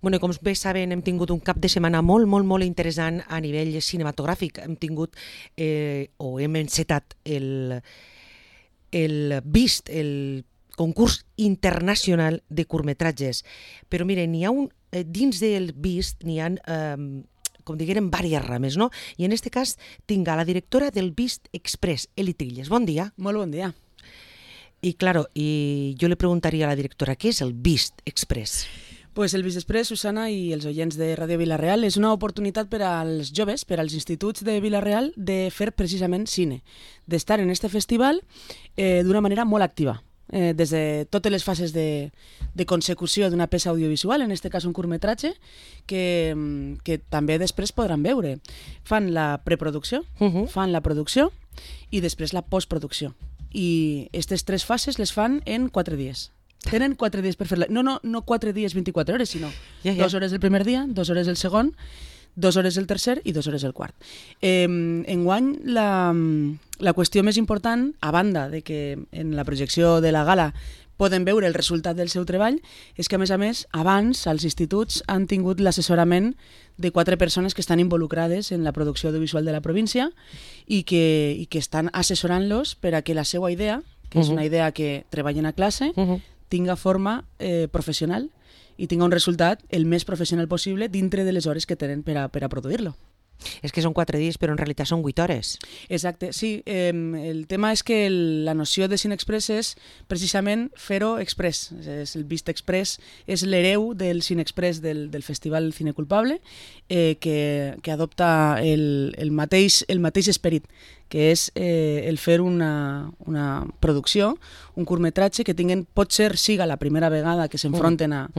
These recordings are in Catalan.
Bueno, com bé saben, hem tingut un cap de setmana molt interessant a nivell cinematogràfic. Hem tingut, o hem encetat el BIST, el concurs internacional de curtmetratges. Però mire, n'hi ha dins del BIST n'hi ha, com diguem, diverses rames, no? I en aquest cas tinc a la directora del BIST Express, Eli Trilles. Bon dia. Molt bon dia. Y claro, y yo le preguntaría a la directora, ¿qué es el BIST Express? Pues el BIST Express, Susana i els oients de Ràdio Vila-real, és una oportunitat per als joves, per als instituts de Vila-real, de fer precisament cine, d'estar en este festival d'una manera molt activa, des de totes les fases de consecució d'una peça audiovisual, en aquest cas un curtmetratge, que també després podran veure. Fan la preproducció, fan la producció i després la postproducció. I aquestes 3 fases les fan en 4 dies. Tenen 4 dies per fer-la. No 4 dies 24 hores, sinó 2 hores el primer dia, 2 hores el segon, 2 hores el tercer i 2 hores el quart. Enguany, la qüestió més important, a banda de que en la projecció de la gala poden veure el resultat del seu treball, és que, a més, abans els instituts han tingut l'assessorament de 4 persones que estan involucrades en la producció audiovisual de la província i que estan assessorant-los per a que la seva idea, que és una idea que treballen a classe, tinga forma professional i tinga un resultat el més professional possible dintre de les hores que tenen per a produir-lo. És que són 4 dies, però en realitat són 8 hores. Exacte, sí. El tema és que la noció de Cine Express és precisament fer-ho express. El BIST Express és l'hereu del Cine Express del Festival Cine Culpable, que adopta el mateix esperit, que és el fer una producció, un curtmetratge que potser siga la primera vegada que s'enfronten a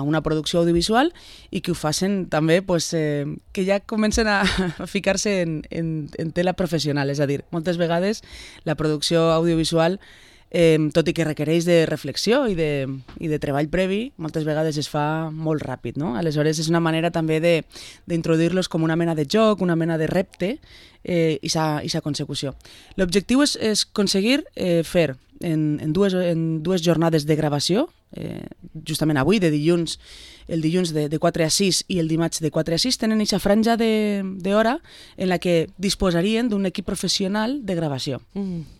una producció audiovisual i que ho facin també, que ja comencen a ficar-se en tela professional. És a dir, moltes vegades la producció audiovisual, tot i que requereix de reflexió i de treball previ, moltes vegades es fa molt ràpid, no? Aleshores és una manera també d'introduir-los com una mena de joc, una mena de repte i sa consecució. L'objectiu és aconseguir fer en dues jornades de gravació, justament avui, el dilluns de 4 a 6 i el dimarts de 4 a 6, tenen aquesta franja d'hora en la que disposarien d'un equip professional de gravació,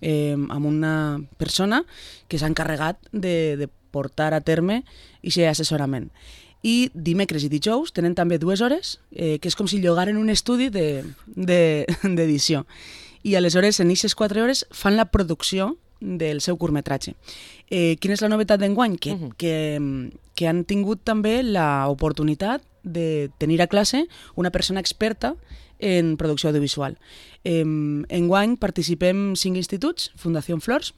amb una persona que s'ha encarregat de portar a terme aquest assessorament. I dimecres i dijous tenen també 2 hores, que és com si llogaren un estudi d'edició. I aleshores, en aquestes 4 hores, fan la producció del seu curtmetratge. Quina és la novetat d'enguany? Que han tingut també l'oportunitat de tenir a classe una persona experta en producció audiovisual. Enguany participem 5 instituts, Fundació Flors,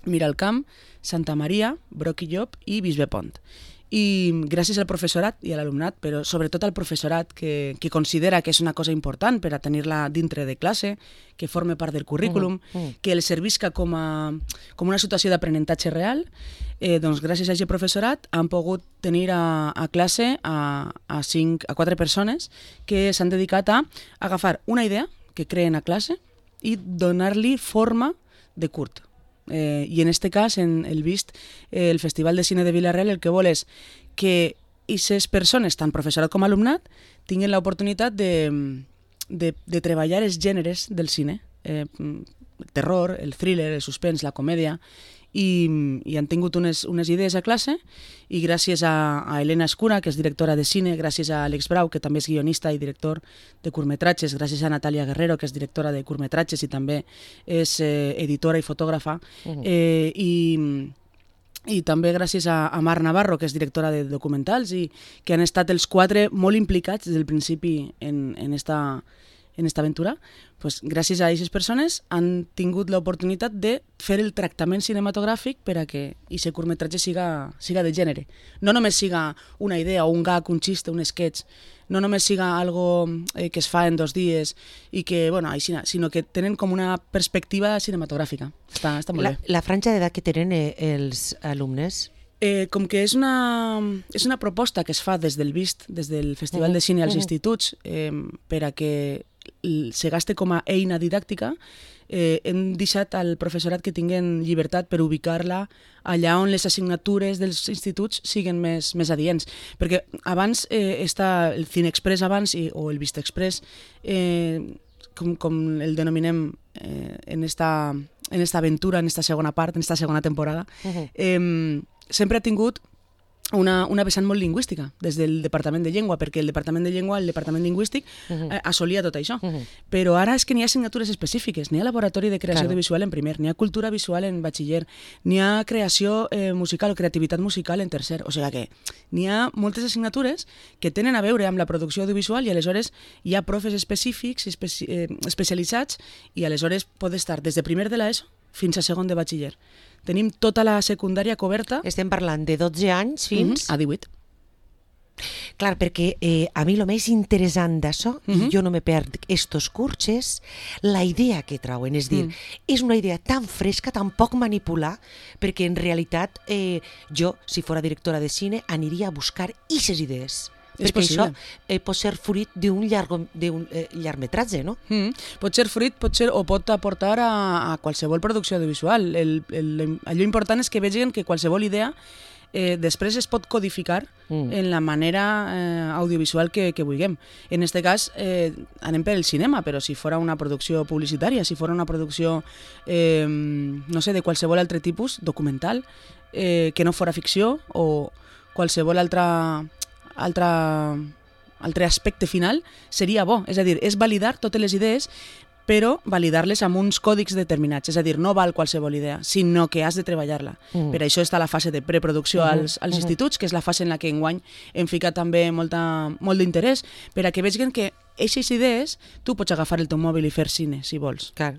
Miralcamp, Santa Maria, Broc i Llop i Bisbe Pont. I gràcies al professorat i a l'alumnat, però sobretot al professorat que considera que és una cosa important per a tenir-la dintre de classe, que forme part del currículum, que els servisca com una situació d'aprenentatge real, doncs gràcies a aquest professorat han pogut tenir a classe a 4 persones que s'han dedicat a agafar una idea que creen a classe i donar-li forma de curt. I en aquest cas, en el BIST, el Festival de Cine de Vila-real, el que vol és que aquestes persones, tant professorat com alumnat, tinguin l'oportunitat de treballar els gèneres del cine, el terror, el thriller, el suspens, la comèdia, i han tingut unes idees a classe i gràcies a Helena Escura, que és directora de cine, gràcies a Àlex Brau, que també és guionista i director de curtmetratges, gràcies a Natàlia Guerrero, que és directora de curtmetratges i també és editora i fotògrafa, i també gràcies a Mar Navarro, que és directora de documentals i que han estat els 4 molt implicats des del principi en esta aventura. Pues, gràcies a aquestes persones han tingut l'oportunitat de fer el tractament cinematogràfic per a que aquest curtmetratge siga de gènere. No només siga una idea o un gag, un xiste, un sketch, no només siga algo que es fa en 2 dies i que, sinó que tenen com una perspectiva cinematogràfica. Està molt bé. La franja d'edat que tenen els alumnes? Com que és una proposta que es fa des del BIST, des del Festival de Cine als instituts, per a que se gaste com a eina didàctica, hem deixat al professorat que tinguen llibertat per ubicar-la allà on les assignatures dels instituts siguen més adients. Perquè abans està el CineExpress abans o el VistaExpress, com el denominem en esta aventura, en esta segona part, en esta segona temporada, sempre ha tingut una vessant molt lingüística des del Departament de Llengua, perquè el Departament de Llengua, el Departament Lingüístic, assolia tot això. Però ara és que n'hi ha assignatures específiques, n'hi ha laboratori de creació audiovisual en primer, n'hi ha cultura visual en batxiller, n'hi ha creació musical o creativitat musical en tercer, o sigui que n'hi ha moltes assignatures que tenen a veure amb la producció audiovisual i aleshores hi ha profes específics, especialitzats, i aleshores pot estar des de primer de l'ESO fins a segon de batxiller. Tenim tota la secundària coberta. Estem parlant de 12 anys fins... a 18. Clar, perquè a mi el més interessant d'això, i jo no me perd estos cursos, la idea que trauen, és dir, és una idea tan fresca, tan poc manipular, perquè en realitat jo, si fora directora de cine, aniria a buscar aquestes idees. Perquè això pot ser fruit d'un llargmetratge, no? Pot ser fruit, o pot aportar a qualsevol producció audiovisual. Allò important és que vegin que qualsevol idea després es pot codificar en la manera audiovisual que vulguem. En aquest cas anem per el cinema, però si fora una producció publicitària, si fora una producció no sé, de qualsevol altre tipus, documental, que no fora ficció o qualsevol altre aspecte final, seria bo. És a dir, és validar totes les idees, però validar-les amb uns còdics determinats. És a dir, no val qualsevol idea, sinó que has de treballar-la. Per això està la fase de preproducció als instituts, que és la fase en la que enguany hem ficat també molt d'interès, per a que vegin que aquestes idees tu pots agafar el teu mòbil i fer cine, si vols. Clar.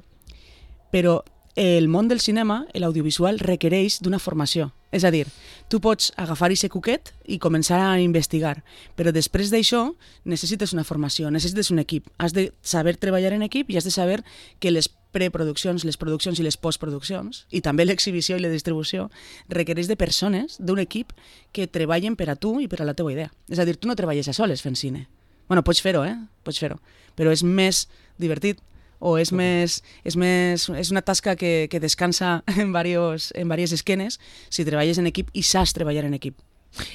Però el món del cinema, l'audiovisual, requereix d'una formació. És a dir, tu pots agafar aquest cuquet i començar a investigar, però després d'això necessites una formació, necessites un equip. Has de saber treballar en equip i has de saber que les preproduccions, les produccions i les postproduccions, i també l'exhibició i la distribució, requereix de persones, d'un equip que treballen per a tu i per a la teva idea. És a dir, tu no treballes a soles fent cine. Bueno, pots fer-ho, pots fer-ho, però és més divertit, o és una tasca que descansa en diverses esquenes si treballes en equip i saps treballar en equip.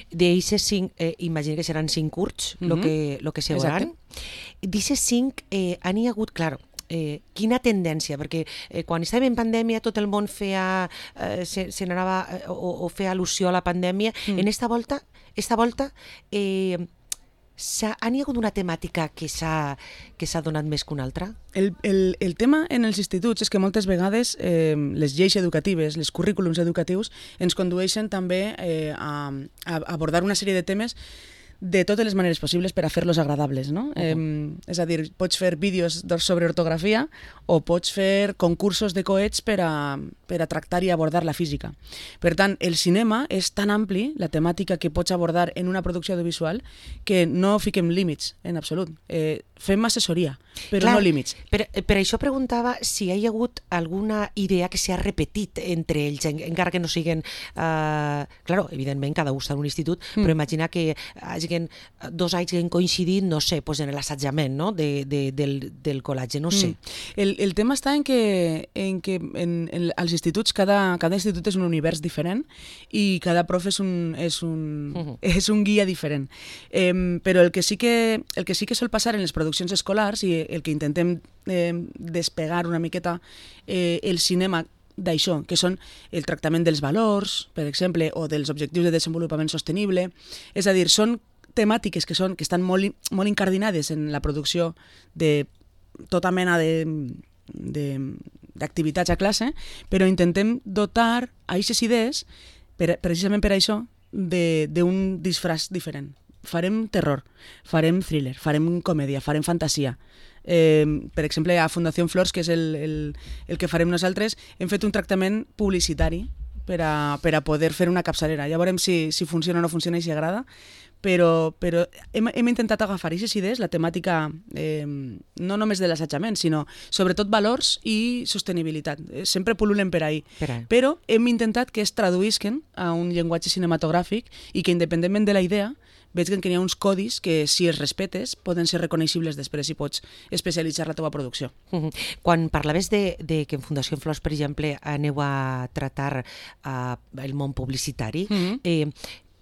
D'eixes 5, imagino que seran 5 curts, lo que se veuran. D'eixes 5 han hi hagut, clar, quina tendència, perquè quan estàvem en pandèmia tot el món se n'anava o feia al·lusió a la pandèmia. En esta volta han hi hagut una temàtica que s'ha donat més que una altra? El tema en els instituts és que moltes vegades les lleis educatives, els currículums educatius, ens condueixen també a abordar una sèrie de temes de totes les maneres possibles per a fer-los agradables, no? És a dir, pots fer vídeos sobre ortografia o pots fer concursos de coets per a tractar i abordar la física. Per tant, el cinema és tan ampli, la temàtica que pots abordar en una producció audiovisual, que no fiquem límits en absolut. Fem assessoria, però no límits. Per això preguntava si hi ha hagut alguna idea que s'ha repetit entre ells, encara que no siguin... Claro, evidentment, cada un està en un institut, però imagina que hagin 2 anys que han coincidit, no sé, pues en l'assetjament, no? del col·legi, no sé. El tema està en que als instituts, cada institut és un univers diferent i cada prof és un guia diferent. Però el que sí que sol passar en les produccions escolars i el que intentem despegar una miqueta el cinema d'això, que són el tractament dels valors, per exemple, o dels objectius de desenvolupament sostenible. És a dir, són temàtiques que estan molt incardinades en la producció de tota mena d'activitats a classe, però intentem dotar a aquestes idees, precisament per això, d'un disfraç diferent. Farem terror, farem thriller, farem comèdia, farem fantasia. Per exemple, a Fundació Flors, que és el que farem nosaltres, hem fet un tractament publicitari per a poder fer una capçalera. Ja veurem si funciona o no funciona i si agrada, però hem intentat agafar aquestes idees, la temàtica no només de l'assetjament, sinó sobretot valors i sostenibilitat. Sempre pul·lulen per ahí. Però hem intentat que es traduïsquen a un llenguatge cinematogràfic i que, independentment de la idea, veig que hi ha uns codis que, si els respetes, poden ser reconeixibles després i pots especialitzar la teva producció. Quan parlaves de que en Fundació Flors, per exemple, aneu a tratar el món publicitari,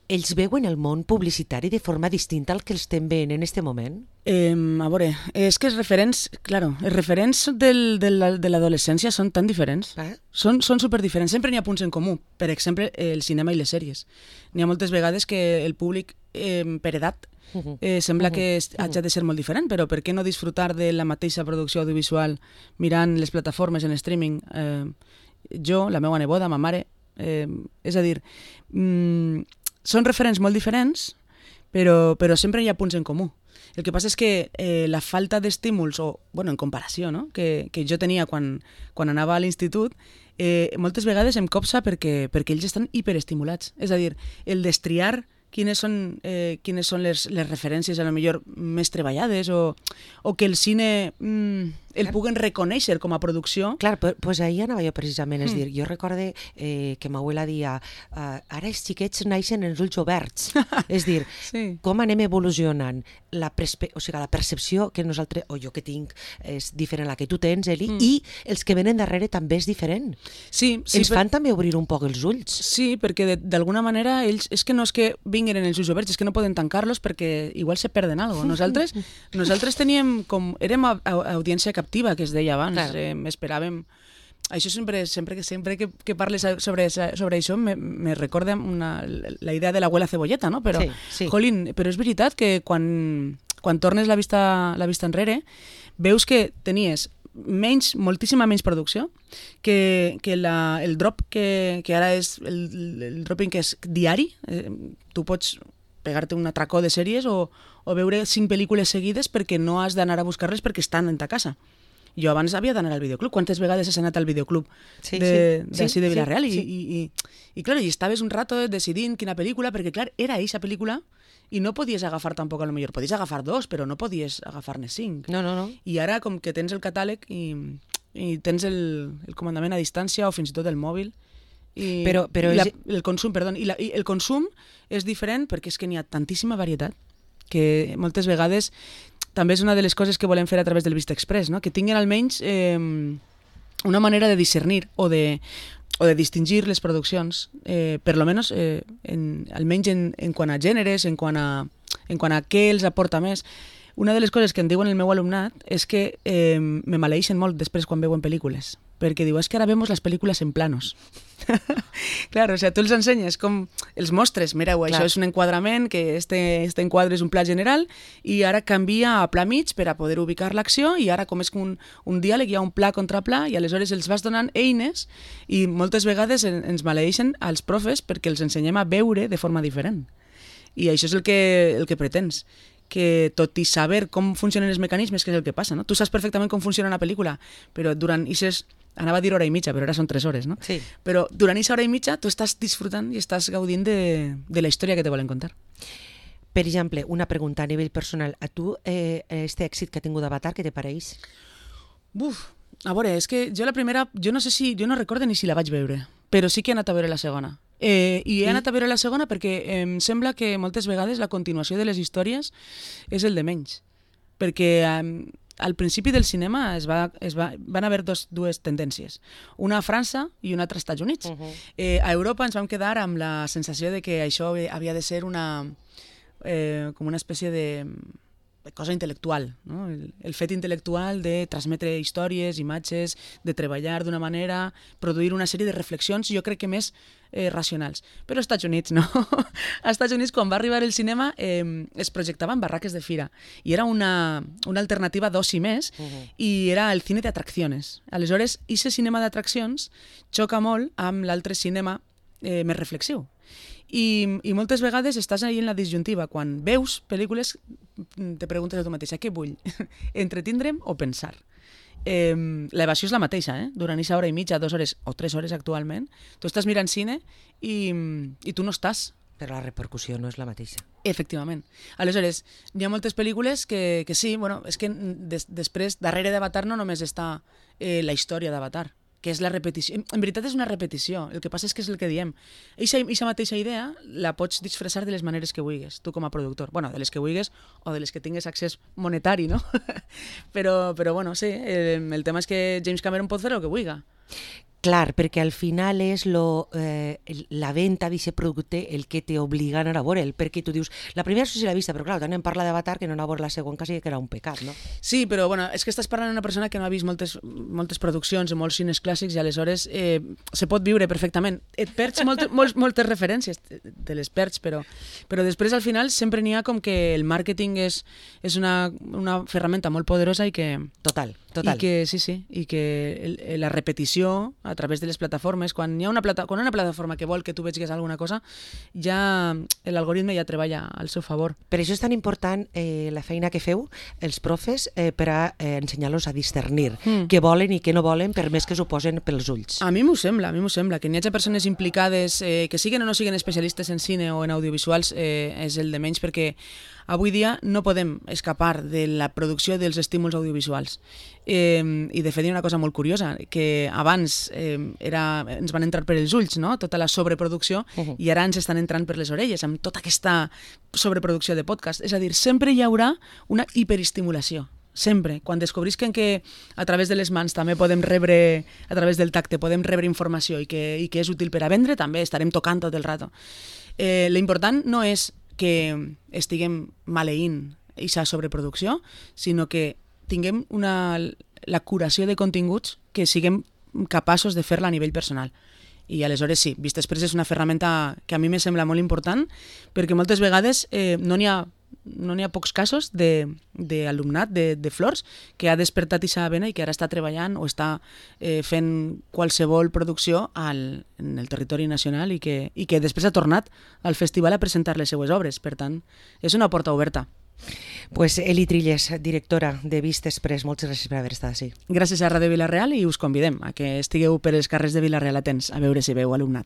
ells veuen el món publicitari de forma distinta al que els estem veient en aquest moment? A veure, és que els referents de l'adolescència són tan diferents. Són superdiferents. Sempre n'hi ha punts en comú. Per exemple, el cinema i les sèries. N'hi ha moltes vegades que el públic, per edat, sembla que hagi de ser molt diferent, però per què no disfrutar de la mateixa producció audiovisual mirant les plataformes en streaming? Jo, la meva neboda, ma mare... És a dir... Són referents molt diferents, però sempre hi ha punts en comú. El que passa és que la falta d'estímuls, o en comparació, no? que jo tenia quan anava a l'institut, moltes vegades em copsa perquè ells estan hiperestimulats. És a dir, el destriar quines són les referències a lo millor més treballades o que el cine el puguen reconèixer com a producció. Clar, doncs ahir anava jo precisament, és dir, jo recorde que ma abuela dia ara els xiquets naixen en els ulls oberts, és dir, com anem evolucionant, la percepció que nosaltres, o jo que tinc, és diferent a la que tu tens, Eli, i els que venen darrere també és diferent. Sí, ens fan també obrir un poc els ulls. Sí, perquè d'alguna manera ells, és que no és que vinguin en els ulls oberts, és que no poden tancar-los perquè igual se perden alguna cosa. Nosaltres teníem érem audiència captiva, que es deia abans, esperàvem... Això sempre que parles sobre això me recorda la idea de l'abuela cebolleta, no? Però, jolín, però és veritat que quan tornes la vista enrere, veus que tenies moltíssima menys producció, que el drop que ara és el dropping que és diari, tu pots pegar-te un atracó de sèries o veure 5 pel·lícules seguides perquè no has d'anar a buscar-les perquè estan en ta casa. Jo abans havia d'anar al videoclub. Quantes vegades has anat al videoclub d'ací de Vilareal? I clar, i estaves un rato decidint quina pel·lícula, perquè clar, era eixa pel·lícula i no podies agafar tampoc, a lo millor podies agafar 2, però no podies agafar-ne 5. No. I ara, com que tens el catàleg i tens el comandament a distància o fins i tot el mòbil, el consum, perdó, i el consum és diferent perquè és que n'hi ha tantíssima varietat que moltes vegades també és una de les coses que volem fer a través del Vista Express, no? Que tinguin almenys una manera de discernir o de distingir les produccions, per lo menos, almenys en quant a gèneres, en quant a què els aporta més. Una de les coses que em diuen el meu alumnat és que me maleeixen molt després quan veuen pel·lícules, perquè diu, és que ara vemos les pel·lícules en planos. Clar, o sigui, tu els ensenyes com els mostres, mireu, això és un enquadrament, que este enquadre és un pla general, i ara canvia a pla mig per a poder ubicar l'acció, i ara com és un diàleg, hi ha un pla contra pla, i aleshores els vas donant eines, i moltes vegades ens maleeixen als profes perquè els ensenyem a veure de forma diferent. I això és el que pretens, que tot i saber com funcionen els mecanismes, que és el que passa, no? Tu saps perfectament com funciona una pel·lícula, però durant aquestes... Anava a dir hora i mitja, però ara són 3 hores, no? Sí. Però durant aquesta hora i mitja tu estàs disfrutant i estàs gaudint de la història que te volen contar. Per exemple, una pregunta a nivell personal. A tu, este èxit que ha tingut Avatar, què te pareix? A veure, és que jo la primera... Jo no recordo ni si la vaig veure, però sí que he anat a veure la segona. I he anat a veure la segona perquè em sembla que moltes vegades la continuació de les històries és el de menys. Perquè... al principi del cinema van haver dues tendències. Una a França i una altra als Estats Units. A Europa ens vam quedar amb la sensació de que això havia de ser com una espècie de cosa intel·lectual, no? El fet intel·lectual de transmetre històries, imatges, de treballar d'una manera, produir una sèrie de reflexions, jo crec que més racionals. Però als Estats Units no. Als Estats Units, quan va arribar el cinema, es projectaven barraques de fira i era una alternativa d'oci més i era el cine d'atraccions. Aleshores, aquest cinema d'atraccions xoca molt amb l'altre cinema més reflexiu. I moltes vegades estàs ahí en la disjuntiva. Quan veus pel·lícules te preguntes a tu mateixa, què vull? Entretindre'm o pensar? L'evasió és la mateixa, durant aquesta hora i mitja, 2 hores o 3 hores actualment. Tu estàs mirant cine i tu no estàs Però la repercussió no és la mateixa. Efectivament. Aleshores, hi ha moltes pel·lícules que sí, bueno, és que després, darrere d'Avatar no només està la història d'Avatar, que és la repetició. En veritat és una repetició, el que passa és que és el que diem. Eixa mateixa idea la pots disfressar de les maneres que vulguis, tu com a productor. Bueno, de les que vulguis o de les que tingues accés monetari, no? però bueno, sí, el tema és que James Cameron pot fer el que vulgui. Clar, perquè al final és la venda d'aquest producte el que t'obliga a anar a veure'l, perquè tu dius, la primera sí l'he vista, però clar, tant en parla d'Avatar que no anar a veure la següent quasi que era un pecat, no? Sí, però bueno, és que estàs parlant d'una persona que no ha vist moltes produccions i molts cines clàssics i aleshores se pot viure perfectament. Et perds moltes referències, te les perds, però després al final sempre n'hi ha com que el màrqueting és una ferramenta molt poderosa i que... Total. I que, sí, i que la repetició a través de les plataformes, quan hi ha una plataforma que vol que tu vegis alguna cosa, ja l'algoritme ja treballa al seu favor. Per això és tan important la feina que feu, els profes, per a ensenyar-los a discernir què volen i què no volen, per més que s'ho posen pels ulls. A mi m'ho sembla, que n'hi hagi persones implicades, que siguen o no siguen especialistes en cine o en audiovisuals, és el de menys, perquè avui dia no podem escapar de la producció dels estímuls audiovisuals. I de fet hi ha una cosa molt curiosa, que abans ens van entrar per els ulls, no? Tota la sobreproducció, i ara ens estan entrant per les orelles, amb tota aquesta sobreproducció de podcast. És a dir, sempre hi haurà una hiperestimulació. Sempre. Quan descobrisquen que a través de les mans també podem rebre, a través del tacte, podem rebre informació i que és útil per a vendre, també estarem tocant tot el rato. L'important no és que estiguem maleint aquesta sobreproducció, sinó que tinguem la curació de continguts que siguem capaços de fer-la a nivell personal. I aleshores sí, Vista Express és una ferramenta que a mi me sembla molt important, perquè moltes vegades no n'hi ha pocs casos d'alumnat de Flors que ha despertat aquesta vena i que ara està treballant o està fent qualsevol producció en el territori nacional i que després ha tornat al festival a presentar les seues obres. Per tant, és una porta oberta. Pues Eli Trilles, directora de Vista Express, moltes gràcies per haver estat així. Gràcies a Ràdio Vila-real i us convidem a que estigueu per els carrers de Vila-real atents a veure si veu alumnat.